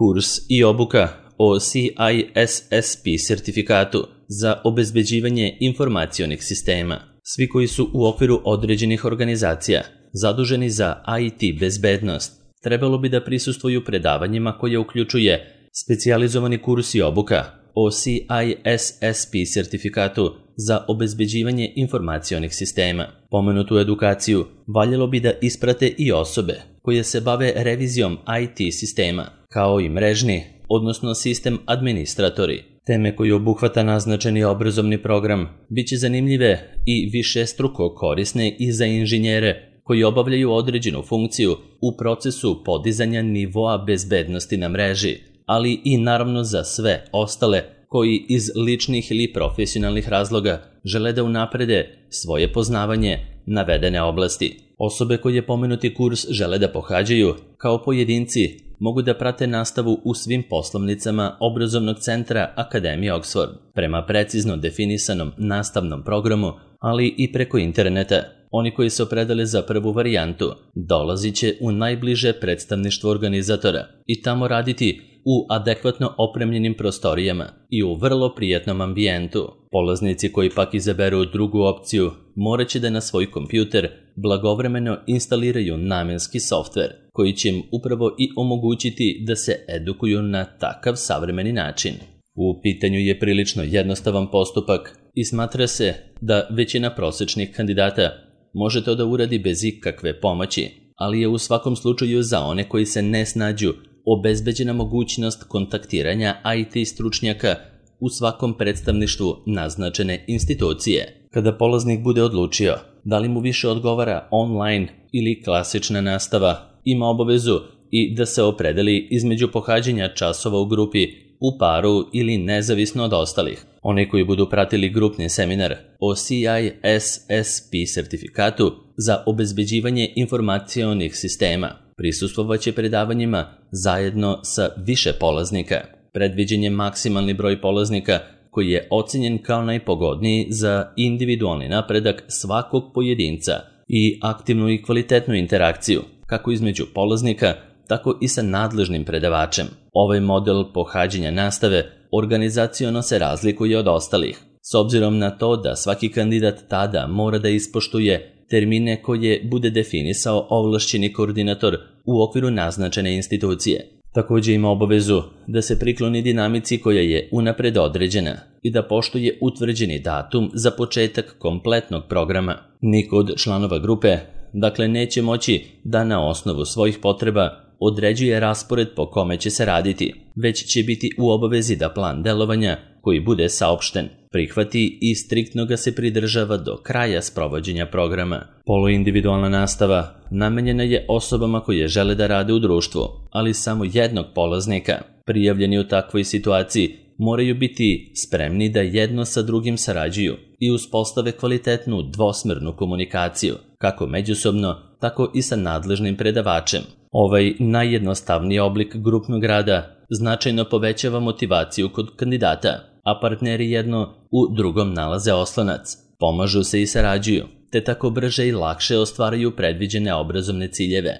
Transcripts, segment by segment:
Kurs i obuka o CISSP sertifikatu za obezbeđivanje informacionih sistema. Svi koji su u okviru određenih organizacija zaduženi za IT bezbednost trebalo bi da prisustvuju predavanjima koje uključuje specijalizovani kurs i obuka o CISSP sertifikatu za obezbeđivanje informacionih sistema. Pomenutu edukaciju valjalo bi da isprate i osobe koje se bave revizijom IT sistema, kao i mrežni, odnosno sistem administratori. Teme koje obuhvata naznačeni obrazovni program biće zanimljive i višestruko korisne i za inženjere koji obavljaju određenu funkciju u procesu podizanja nivoa bezbednosti na mreži, ali i naravno za sve ostale koji iz ličnih ili profesionalnih razloga žele da unaprede svoje poznavanje navedene oblasti. Osobe koje pomenuti kurs žele da pohađaju kao pojedinci mogu da prate nastavu u svim poslovnicama obrazovnog centra Akademije Oxford prema precizno definisanom nastavnom programu, ali i preko interneta. Oni koji se opredele za prvu varijantu dolazit će u najbliže predstavništvo organizatora i tamo raditi u adekvatno opremljenim prostorijama i u vrlo prijatnom ambijentu. Polaznici koji pak izaberu drugu opciju morat će da na svoj kompjuter blagovremeno instaliraju namenski softver koji će im upravo i omogućiti da se edukuju na takav savremeni način. U pitanju je prilično jednostavan postupak i smatra se da većina prosečnih kandidata može to da uradi bez ikakve pomoći, ali je u svakom slučaju za one koji se ne snađu obezbeđena mogućnost kontaktiranja IT stručnjaka u svakom predstavništvu naznačene institucije. Kada polaznik bude odlučio da li mu više odgovara online ili klasična nastava, ima obavezu i da se opredeli između pohađanja časova u grupi, u paru ili nezavisno od ostalih. Oni koji budu pratili grupni seminar o CISSP sertifikatu za obezbeđivanje informacionih sistema prisustvovaće predavanjima zajedno sa više polaznika. Predviđen je maksimalni broj polaznika koji je ocenjen kao najpogodniji za individualni napredak svakog pojedinca i aktivnu i kvalitetnu interakciju, kako između polaznika, tako i sa nadležnim predavačem. Ovaj model pohađanja nastave organizaciono se razlikuje od ostalih, s obzirom na to da svaki kandidat tada mora da ispoštuje termine koje bude definisao ovlašćeni koordinator u okviru naznačene institucije. Također ima obavezu da se prikloni dinamici koja je unapred određena i da poštuje utvrđeni datum za početak kompletnog programa. Niko od članova grupe, dakle, neće moći da na osnovu svojih potreba određuje raspored po kome će se raditi, već će biti u obavezi da plan delovanja koji bude saopšten prihvati i striktno ga se pridržava do kraja sprovođenja programa. Poluindividualna nastava namenjena je osobama koje žele da rade u društvu, ali samo jednog polaznika. Prijavljeni u takvoj situaciji moraju biti spremni da jedno sa drugim sarađuju i uspostave kvalitetnu dvosmernu komunikaciju, kako međusobno, tako i sa nadležnim predavačem. Ovaj najjednostavniji oblik grupnog rada značajno povećava motivaciju kod kandidata, a partneri jedno u drugom nalaze oslonac, pomažu se i sarađuju, te tako brže i lakše ostvaraju predviđene obrazovne ciljeve.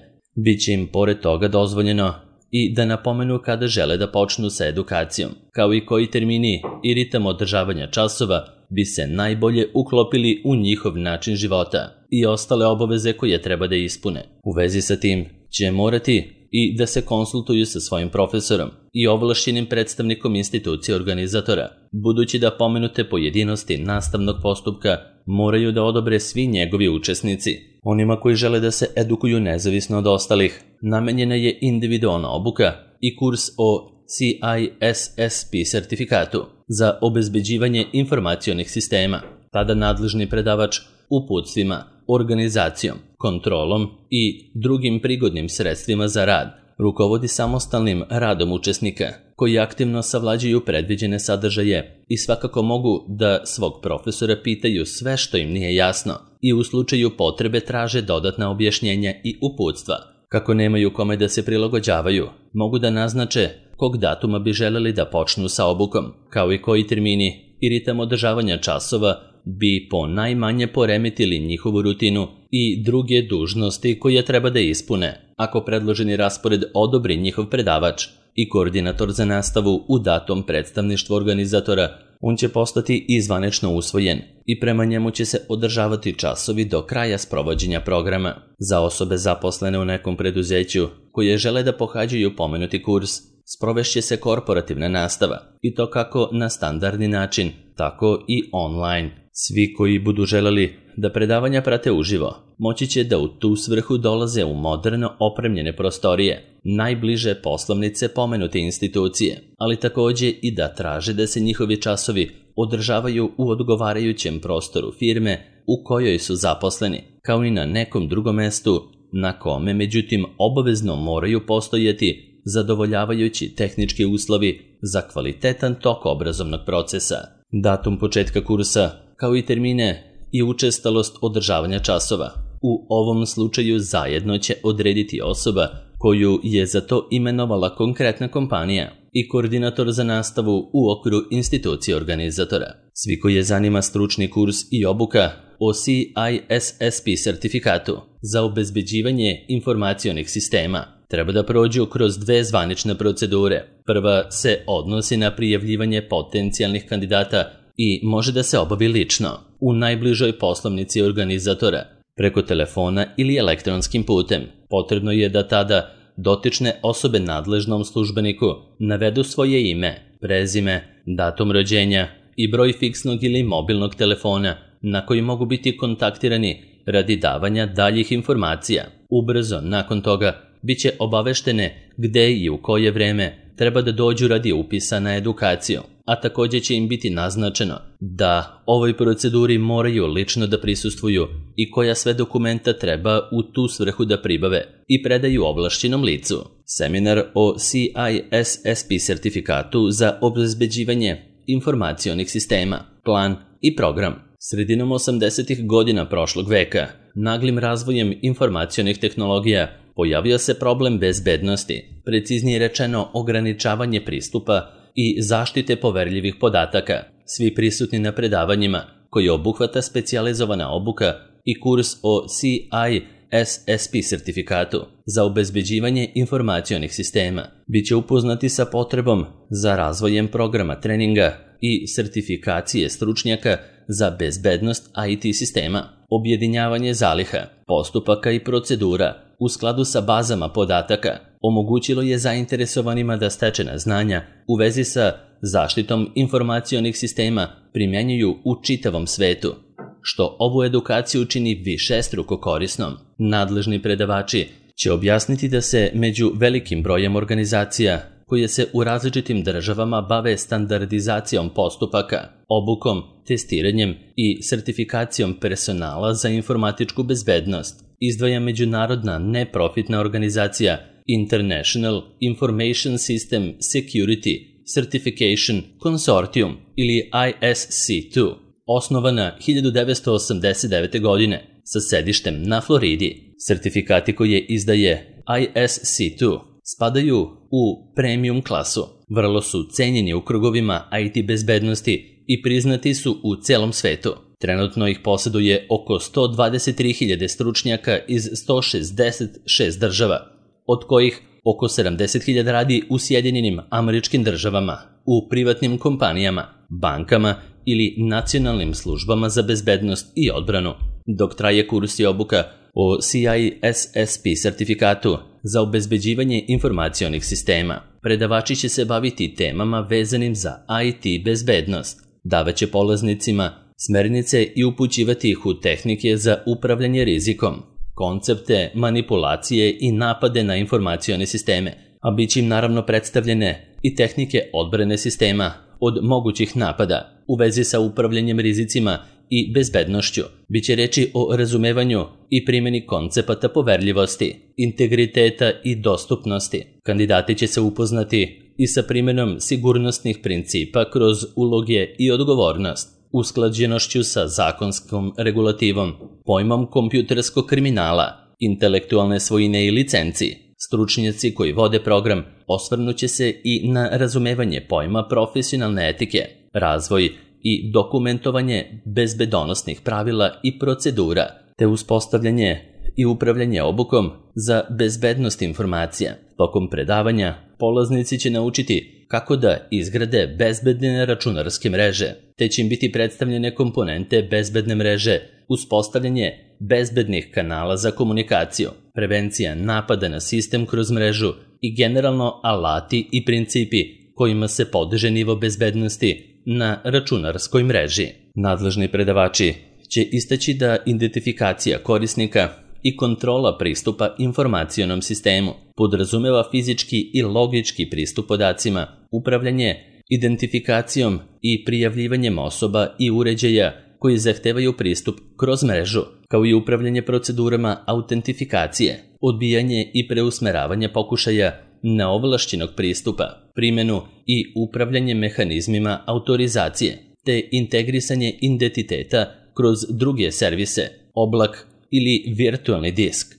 Biće im pored toga dozvoljeno i da napomenu kada žele da počnu sa edukacijom, kao i koji termini i ritam održavanja časova bi se najbolje uklopili u njihov način života i ostale obaveze koje treba da ispune. U vezi sa tim će morati i da se konsultuju sa svojim profesorom i ovlašćenim predstavnikom institucije organizatora, budući da pomenute pojedinosti nastavnog postupka moraju da odobre svi njegovi učesnici. Onima koji žele da se edukuju nezavisno od ostalih, namenjena je individualna obuka i kurs o CISSP sertifikatu za obezbeđivanje informacionih sistema. Tada nadležni predavač uputstvima, organizacijom, kontrolom i drugim prigodnim sredstvima za rad rukovodi samostalnim radom učesnika koji aktivno savlađuju predviđene sadržaje i svakako mogu da svog profesora pitaju sve što im nije jasno i u slučaju potrebe traže dodatna objašnjenja i uputstva. Kako nemaju kome da se prilagođavaju, mogu da naznače kog datuma bi želeli da počnu sa obukom, kao i koji termini i ritam održavanja časova bi po najmanje poremetili njihovu rutinu i druge dužnosti koje treba da ispune. Ako predloženi raspored odobri njihov predavač, i koordinator za nastavu u datom predstavništvu organizatora. On će postati i zvanično usvojen i prema njemu će se održavati časovi do kraja sprovođenja programa. Za osobe zaposlene u nekom preduzeću koje žele da pohađaju pomenuti kurs, sprovešće se korporativna nastava i to kako na standardni način, tako i online. Svi koji budu želeli da predavanja prate uživo, moći će da u tu svrhu dolaze u moderno opremljene prostorije, najbliže poslovnice pomenute institucije, ali takođe i da traže da se njihovi časovi održavaju u odgovarajućem prostoru firme u kojoj su zaposleni, kao i na nekom drugom mestu na kome, međutim, obavezno moraju postojati zadovoljavajući tehnički uslovi za kvalitetan tok obrazovnog procesa. Datum početka kursa, kao i termine i učestalost održavanja časova, u ovom slučaju zajedno će odrediti osoba koju je za to imenovala konkretna kompanija i koordinator za nastavu u okviru institucije organizatora. Svi koji je zanima stručni kurs i obuka o CISSP sertifikatu za obezbeđivanje informacionih sistema treba da prođu kroz 2 zvanične procedure. Prva se odnosi na prijavljivanje potencijalnih kandidata i može da se obavi lično, u najbližoj poslovnici organizatora, preko telefona ili elektronskim putem. Potrebno je da tada dotične osobe nadležnom službeniku navedu svoje ime, prezime, datum rođenja i broj fiksnog ili mobilnog telefona na koji mogu biti kontaktirani radi davanja daljih informacija. Ubrzo nakon toga biće obaveštene gde i u koje vreme treba da dođu radi upisa na edukaciju, a takođe će im biti naznačeno da ovoj proceduri moraju lično da prisustvuju i koja sve dokumenta treba u tu svrhu da pribave i predaju ovlašćenom licu. Seminar o CISSP sertifikatu za obezbeđivanje informacionih sistema, plan i program. Sredinom 80. godina prošlog veka, naglim razvojem informacionih tehnologija, pojavio se problem bezbednosti, preciznije rečeno ocijenjavanje pristupa i zaštite poverljivih podataka. Svi prisutni na predavanjima, koji obuhvata specijalizovana obuka i kurs o CISSP sertifikatu za obezbeđivanje informacionih sistema, bit će upoznati sa potrebom za razvojem programa treninga i sertifikacije stručnjaka za bezbednost IT sistema, objedinjavanje zaliha, postupaka i procedura u skladu sa bazama podataka omogućilo je zainteresovanima da stečena znanja u vezi sa zaštitom informacionih sistema primjenjuju u čitavom svetu, što ovu edukaciju čini višestruko korisnom. Nadležni predavači će objasniti da se među velikim brojem organizacija koje se u različitim državama bave standardizacijom postupaka, obukom, testiranjem i sertifikacijom personala za informatičku bezbednost, izdvaja međunarodna neprofitna organizacija International Information System Security Certification Consortium ili ISC2, osnovana 1989. godine sa sedištem na Floridi. Sertifikati koje izdaje ISC2 spadaju u premium klasu, vrlo su cenjeni u krugovima IT bezbednosti i priznati su u celom svetu. Trenutno ih posjeduje oko 123.000 stručnjaka iz 166 država, od kojih oko 70.000 radi u Sjedinjenim Američkim Državama, u privatnim kompanijama, bankama ili nacionalnim službama za bezbednost i odbranu. Dok traje kurs i obuka o CISSP sertifikatu za obezbeđivanje informacionih sistema, predavači će se baviti temama vezanim za IT bezbednost, davaće polaznicima smernice i upućivati ih u tehnike za upravljanje rizikom, koncepte, manipulacije i napade na informacione sisteme, a bit će im naravno predstavljene i tehnike odbrane sistema od mogućih napada u vezi sa upravljanjem rizicima i bezbednošću. Biće reči o razumevanju i primjeni koncepata poverljivosti, integriteta i dostupnosti. Kandidati će se upoznati i sa primjenom sigurnosnih principa kroz uloge i odgovornost, usklađenošću sa zakonskom regulativom, pojmom kompjuterskog kriminala, intelektualne svojine i licenci. Stručnjaci koji vode program osvrnuće se i na razumevanje pojma profesionalne etike, razvoj i dokumentovanje bezbedonosnih pravila i procedura, te uspostavljanje i upravljanje obukom za bezbednost informacija. Tokom predavanja polaznici će naučiti kako da izgrade bezbedne računarske mreže, te će im biti predstavljene komponente bezbedne mreže, uspostavljanje bezbednih kanala za komunikaciju, prevencija napada na sistem kroz mrežu i generalno alati i principi kojima se podiže nivo bezbednosti na računarskoj mreži. Nadležni predavači će istaći da identifikacija korisnika i kontrola pristupa informacionom sistemu podrazumeva fizički i logički pristup podacima, upravljanje identifikacijom i prijavljivanjem osoba i uređaja koji zahtevaju pristup kroz mrežu, kao i upravljanje procedurama autentifikacije, odbijanje i preusmeravanje pokušaja neovlašćenog pristupa, primjenu i upravljanje mehanizmima autorizacije, te integrisanje identiteta kroz druge servise, oblak ili virtualni disk.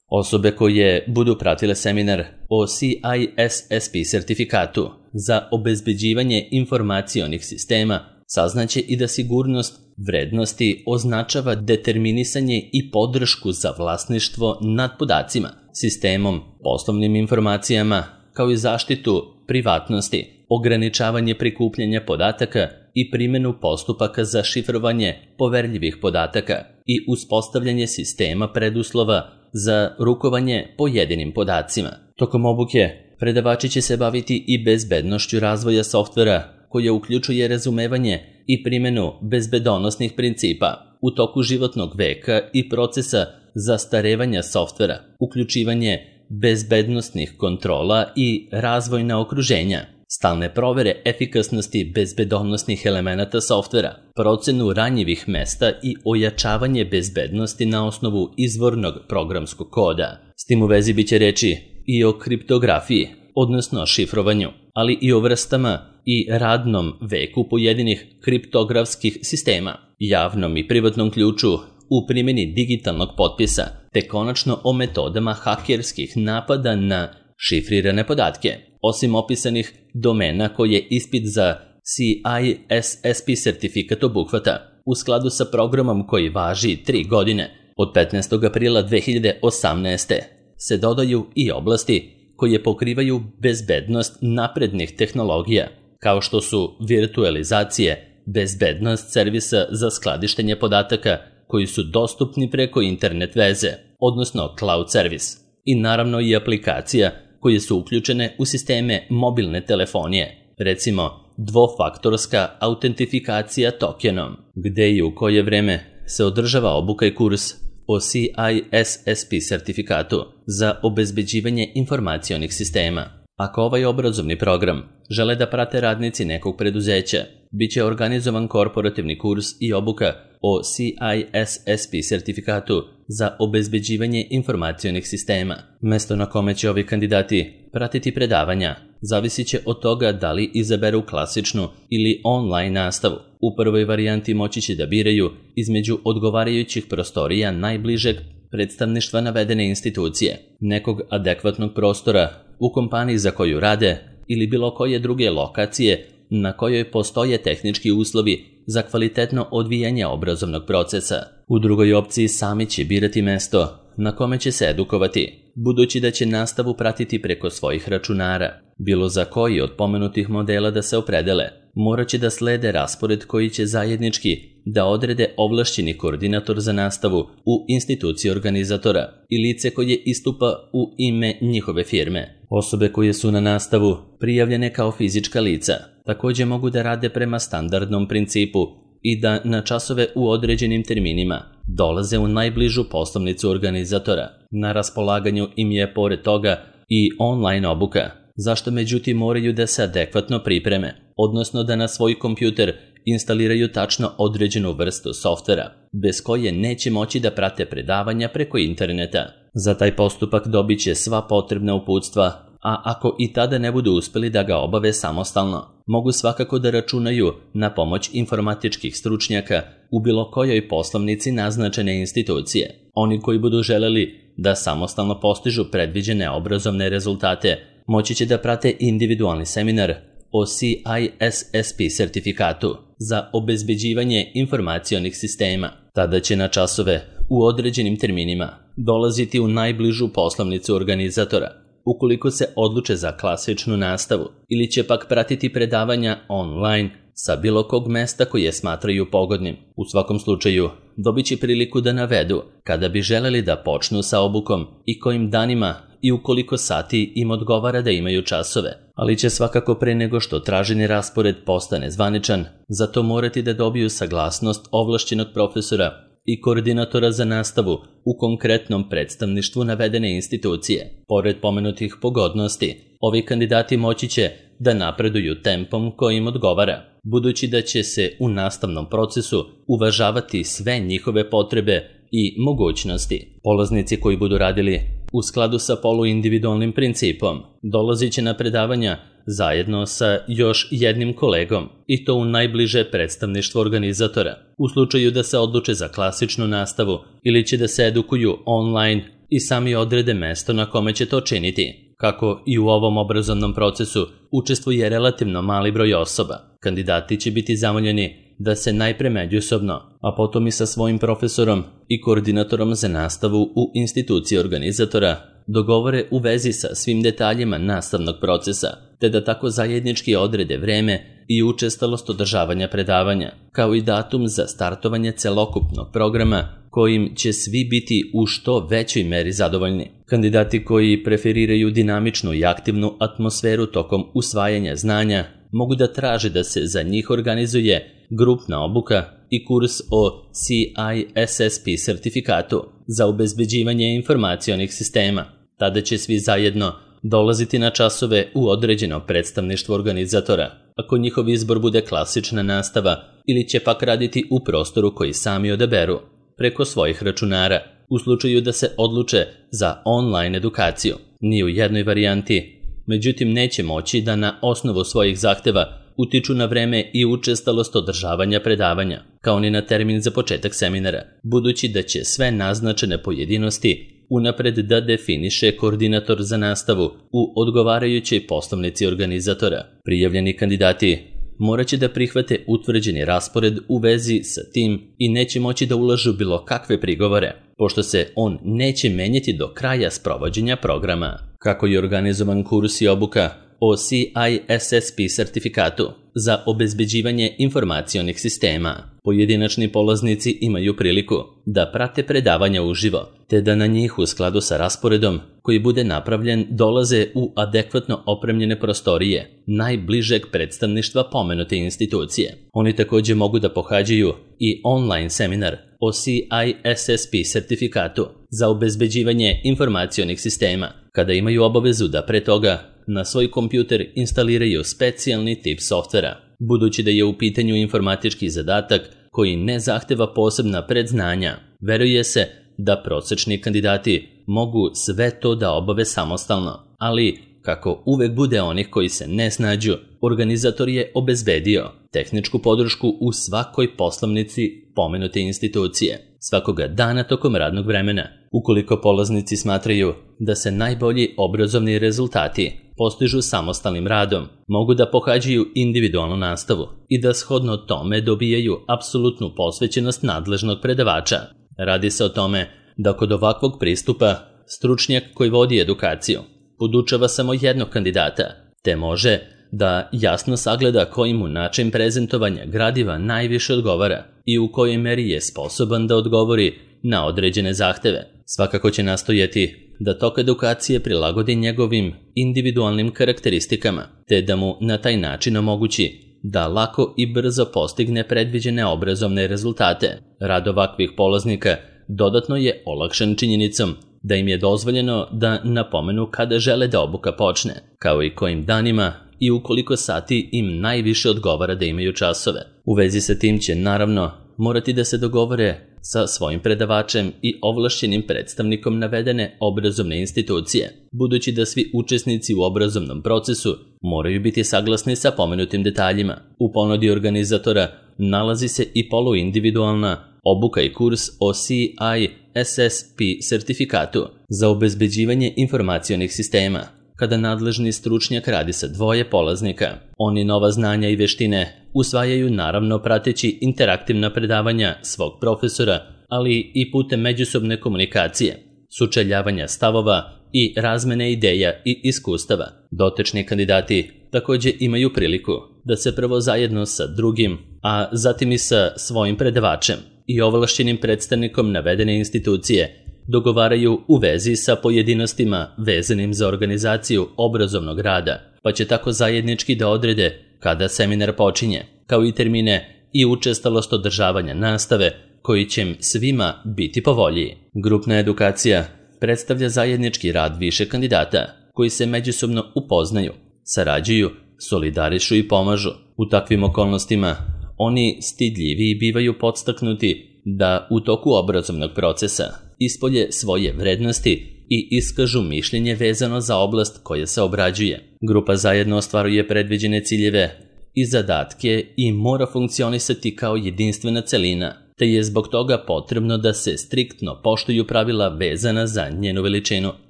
Osobe koje budu pratile seminar o CISSP sertifikatu za obezbeđivanje informacionih sistema saznaće i da sigurnost vrednosti označava determinisanje i podršku za vlasništvo nad podacima, sistemom, poslovnim informacijama, kao i zaštitu privatnosti, ograničavanje prikupljanja podataka i primjenu postupaka za šifrovanje poverljivih podataka i uspostavljanje sistema preduslova za rukovanje pojedinim podacima. Tokom obuke, predavači će se baviti i bezbednošću razvoja softvera, koja uključuje razumevanje i primjenu bezbedonosnih principa u toku životnog veka i procesa zastarevanja softvera, uključivanje bezbednostnih kontrola i razvojna okruženja, stalne provere efikasnosti bezbedonosnih elemenata softvera, procenu ranjivih mesta i ojačavanje bezbednosti na osnovu izvornog programskog koda. S tim u vezi biće reči i o kriptografiji, odnosno šifrovanju, ali i o vrstama i radnom veku pojedinih kriptografskih sistema, javnom i privatnom ključu u primjeni digitalnog potpisa, te konačno o metodama hakerskih napada na šifrirane podatke. Osim opisanih domena koje ispit za CISSP sertifikat obuhvata, u skladu sa programom koji važi 3 godine, od 15. aprila 2018. se dodaju i oblasti koje pokrivaju bezbednost naprednih tehnologija, kao što su virtualizacije, bezbednost servisa za skladištenje podataka koji su dostupni preko internet veze, odnosno cloud servis, i naravno i aplikacija koje su uključene u sisteme mobilne telefonije, recimo dvofaktorska autentifikacija tokenom, gde i u koje vreme se održava obuka i kurs o CISSP sertifikatu za obezbeđivanje informacionih sistema. Ako ovaj obrazovni program žele da prate radnici nekog preduzeća, bit će organizovan korporativni kurs i obuka o CISSP sertifikatu za obezbeđivanje informacionih sistema. Mesto na kome će ovi kandidati pratiti predavanja zavisit će od toga da li izaberu klasičnu ili online nastavu. U prvoj varijanti moći će da biraju između odgovarajućih prostorija najbližeg predstavništva navedene institucije, nekog adekvatnog prostora u kompaniji za koju rade ili bilo koje druge lokacije na kojoj postoje tehnički uslovi za kvalitetno odvijanje obrazovnog procesa. U drugoj opciji sami će birati mesto na kome će se edukovati, budući da će nastavu pratiti preko svojih računara. Bilo za koji od pomenutih modela da se opredele, morat će da slede raspored koji će zajednički da odrede ovlašćeni koordinator za nastavu u instituciji organizatora i lice koje istupa u ime njihove firme. Osobe koje su na nastavu prijavljene kao fizička lica također mogu da rade prema standardnom principu i da na časove u određenim terminima dolaze u najbližu poslovnicu organizatora. Na raspolaganju im je pored toga i online obuka, zašto međutim moraju da se adekvatno pripreme, odnosno da na svoj kompjuter instaliraju tačno određenu vrstu softvera, bez koje neće moći da prate predavanja preko interneta. Za taj postupak dobit će sva potrebna uputstva, a ako i tada ne budu uspeli da ga obave samostalno, mogu svakako da računaju na pomoć informatičkih stručnjaka u bilo kojoj poslovnici naznačene institucije. Oni koji budu želeli da samostalno postižu predviđene obrazovne rezultate, moći će da prate individualni seminar o CISSP sertifikatu za obezbeđivanje informacionih sistema. Tada će na časove u određenim terminima dolaziti u najbližu poslovnicu organizatora. ukoliko se odluče za klasičnu nastavu ili će pak pratiti predavanja online sa bilo kog mesta koje smatraju pogodnim. U svakom slučaju, dobit će priliku da navedu kada bi želeli da počnu sa obukom i kojim danima i u koliko sati im odgovara da imaju časove, ali će svakako pre nego što traženi raspored postane zvaničan, zato morati da dobiju saglasnost ovlašćenog profesora i koordinatora za nastavu u konkretnom predstavništvu navedene institucije. Pored pomenutih pogodnosti, ovi kandidati moći će da napreduju tempom kojim odgovara, budući da će se u nastavnom procesu uvažavati sve njihove potrebe i mogućnosti. Polaznici koji budu radili u skladu sa poluindividualnim principom dolazit će na predavanja zajedno sa još jednim kolegom i to u najbliže predstavništvo organizatora. U slučaju da se odluče za klasičnu nastavu ili će da se edukuju online i sami odrede mesto na kome će to činiti. Kako i u ovom obrazovnom procesu učestvuje relativno mali broj osoba, kandidati će biti zamoljeni da se najpre međusobno, a potom i sa svojim profesorom i koordinatorom za nastavu u instituciji organizatora dogovore u vezi sa svim detaljima nastavnog procesa, te da tako zajednički odrede vreme i učestalost održavanja predavanja, kao i datum za startovanje celokupnog programa kojim će svi biti u što većoj meri zadovoljni. Kandidati koji preferiraju dinamičnu i aktivnu atmosferu tokom usvajanja znanja mogu da traže da se za njih organizuje grupna obuka i kurs o CISSP sertifikatu za obezbeđivanje informacionih sistema. Tada će svi zajedno dolaziti na časove u određeno predstavništvo organizatora, ako njihov izbor bude klasična nastava ili će pak raditi u prostoru koji sami odaberu, preko svojih računara, u slučaju da se odluče za online edukaciju. Ni u jednoj varijanti, međutim, neće moći da na osnovu svojih zahteva utiču na vreme i učestalost održavanja predavanja, kao ni na termin za početak seminara, budući da će sve naznačene pojedinosti unapred da definiše koordinator za nastavu u odgovarajućoj poslovnici organizatora. Prijavljeni kandidati morat će da prihvate utvrđeni raspored u vezi sa tim i neće moći da ulažu bilo kakve prigovore, pošto se on neće menjati do kraja sprovođenja programa. Kako je organizovan kurs i obuka o CISSP sertifikatu za obezbeđivanje informacionih sistema, pojedinačni polaznici imaju priliku da prate predavanja uživo, te da na njih u skladu sa rasporedom koji bude napravljen dolaze u adekvatno opremljene prostorije najbližeg predstavništva pomenute institucije. Oni također mogu da pohađaju i online seminar o CISSP sertifikatu za obezbeđivanje informacionih sistema, kada imaju obavezu da pre toga na svoj kompjuter instaliraju specijalni tip softvera. Budući da je u pitanju informatički zadatak koji ne zahteva posebna predznanja, veruje se da prosečni kandidati mogu sve to da obave samostalno, ali kako uvek bude onih koji se ne snađu, organizator je obezbedio tehničku podršku u svakoj poslovnici pomenute institucije, svakoga dana tokom radnog vremena. Ukoliko polaznici smatraju da se najbolji obrazovni rezultati postižu samostalnim radom, mogu da pohađaju individualnu nastavu i da shodno tome dobijaju apsolutnu posvećenost nadležnog predavača. Radi se o tome da kod ovakvog pristupa stručnjak koji vodi edukaciju podučava samo jednog kandidata, te može da jasno sagleda koji mu način prezentovanja gradiva najviše odgovara i u kojoj meri je sposoban da odgovori na određene zahteve. Svakako će nastojati da tok edukacije prilagodi njegovim individualnim karakteristikama, te da mu na taj način omogući da lako i brzo postigne predviđene obrazovne rezultate. Rad ovakvih polaznika dodatno je olakšan činjenicom da im je dozvoljeno da napomenu kada žele da obuka počne, kao i kojim danima i u koliko sati im najviše odgovara da imaju časove. U vezi sa tim će naravno morati da se dogovore sa svojim predavačem i ovlašćenim predstavnikom navedene obrazovne institucije, budući da svi učesnici u obrazovnom procesu moraju biti saglasni sa pomenutim detaljima. U ponudi organizatora nalazi se i poluindividualna obuka i kurs o CISSP sertifikatu za obezbeđivanje informacionih sistema. Kada nadležni stručnjak radi sa dvoje polaznika, oni nova znanja i veštine usvajaju naravno prateći interaktivna predavanja svog profesora, ali i putem međusobne komunikacije, sučeljavanja stavova i razmene ideja i iskustava. Dotični kandidati također imaju priliku da se prvo zajedno sa drugim, a zatim i sa svojim predavačem i ovlašćenim predstavnikom navedene institucije dogovaraju u vezi sa pojedinostima vezanim za organizaciju obrazovnog rada, pa će tako zajednički da odrede kada seminar počinje, kao i termine i učestalost održavanja nastave koji će im svima biti po volji. Grupna edukacija predstavlja zajednički rad više kandidata koji se međusobno upoznaju, sarađuju, solidarišu i pomažu. U takvim okolnostima oni stidljiviji bivaju podstaknuti da u toku obrazovnog procesa ispolje svoje vrednosti i iskažu mišljenje vezano za oblast koja se obrađuje. Grupa zajedno ostvaruje predviđene ciljeve i zadatke i mora funkcionisati kao jedinstvena celina, te je zbog toga potrebno da se striktno poštuju pravila vezana za njenu veličinu.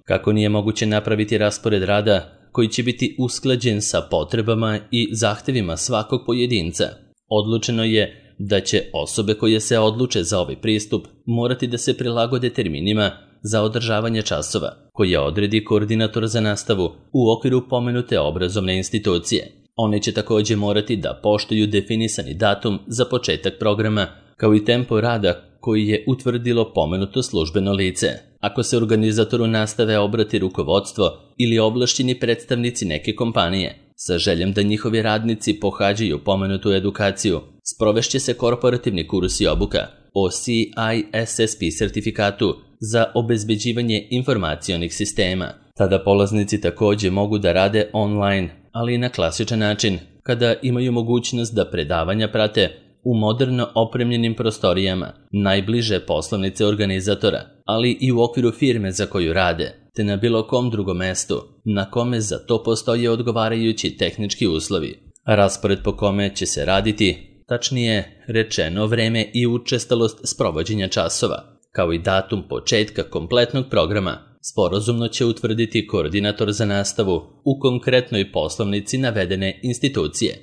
Kako nije moguće napraviti raspored rada koji će biti usklađen sa potrebama i zahtevima svakog pojedinca, odlučeno je da će osobe koje se odluče za ovaj pristup morati da se prilagode terminima za održavanje časova, koje odredi koordinator za nastavu u okviru pomenute obrazovne institucije. One će također morati da poštuju definisani datum za početak programa, kao i tempo rada koji je utvrdilo pomenuto službeno lice. Ako se organizatoru nastave obrati rukovodstvo ili ovlašćeni predstavnici neke kompanije sa željom da njihovi radnici pohađaju pomenutu edukaciju, sprovešće se korporativni kurs i obuka o CISSP sertifikatu za obezbeđivanje informacionih sistema. Tada polaznici također mogu da rade online, ali i na klasičan način, kada imaju mogućnost da predavanja prate u moderno opremljenim prostorijama najbliže poslovnice organizatora, ali i u okviru firme za koju rade, te na bilo kom drugom mestu na kome za to postoje odgovarajući tehnički uslovi. Raspored po kome će se raditi, tačnije rečeno vreme i učestalost sprovođenja časova, kao i datum početka kompletnog programa, sporazumno će utvrditi koordinator za nastavu u konkretnoj poslovnici navedene institucije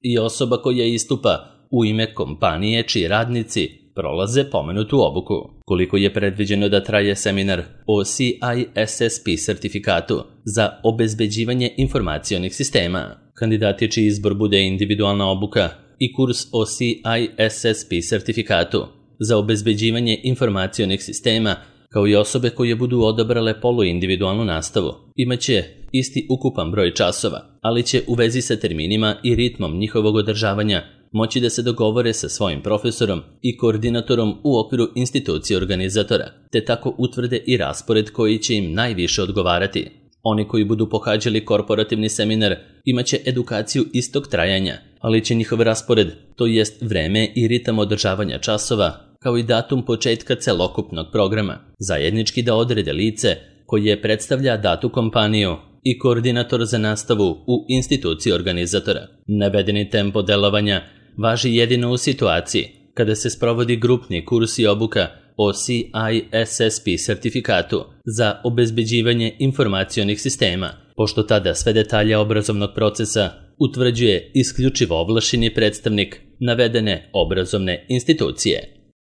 i osoba koja istupa u ime kompanije čiji radnici prolaze pomenutu obuku. Koliko je predviđeno da traje seminar o CISSP sertifikatu za obezbeđivanje informacionih sistema? Kandidati čiji izbor bude individualna obuka i kurs o CISSP sertifikatu za obezbeđivanje informacionih sistema, kao i osobe koje budu odabrale poluindividualnu nastavu, imaće isti ukupan broj časova, ali će u vezi sa terminima i ritmom njihovog održavanja moći da se dogovore sa svojim profesorom i koordinatorom u okviru institucije organizatora, te tako utvrde i raspored koji će im najviše odgovarati. Oni koji budu pohađali korporativni seminar imaće edukaciju istog trajanja, ali će njihov raspored, to jest vreme i ritam održavanja časova, kao i datum početka celokupnog programa, zajednički da odrede lice koje predstavlja datu kompaniju i koordinator za nastavu u instituciji organizatora. Navedeni tempo delovanja važi jedino u situaciji kada se sprovodi grupni kurs i obuka o CISSP sertifikatu za obezbeđivanje informacionih sistema, pošto tada sve detalje obrazovnog procesa utvrđuje isključivo ovlašćeni predstavnik navedene obrazovne institucije.